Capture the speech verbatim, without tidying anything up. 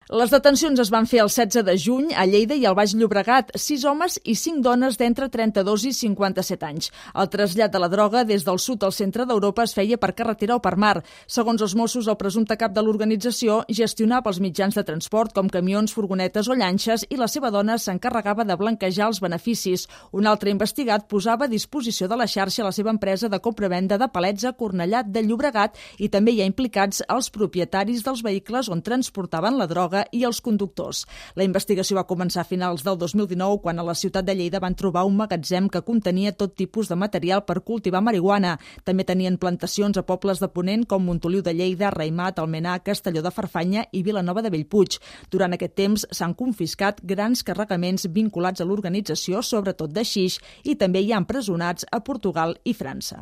Les detencions es van fer el setze de juny a Lleida i al Baix Llobregat, sis homes i cinc dones d'entre trenta-dos i cinquanta-set anys. El trasllat de la droga des del sud al centre d'Europa es feia per carretera o per mar. Segons els Mossos, el presumpte cap de l'organització gestionava els mitjans de transport com camions, furgonetes o llanxes i la seva dona s'encarregava de blanquejar els beneficis. Un altre investigat posava a disposició de la xarxa la seva empresa de compra-venda de palets a Cornellà de Llobregat i també hi ha implicats els propietaris dels vehicles on transportaven la droga i els conductors. La investigació va començar a finals del dos mil dinou quan a la ciutat de Lleida van trobar un magatzem que contenia tot tipus de material per cultivar marihuana. També tenien plantacions a pobles de Ponent com Montoliu de Lleida, Raimat, Almenar, Castelló de Farfanya i Vilanova de Bellpuig. Durant aquest temps s'han confiscat grans carregaments vinculats a l'organització, sobretot de xix, i també hi ha empresonats a Portugal i França.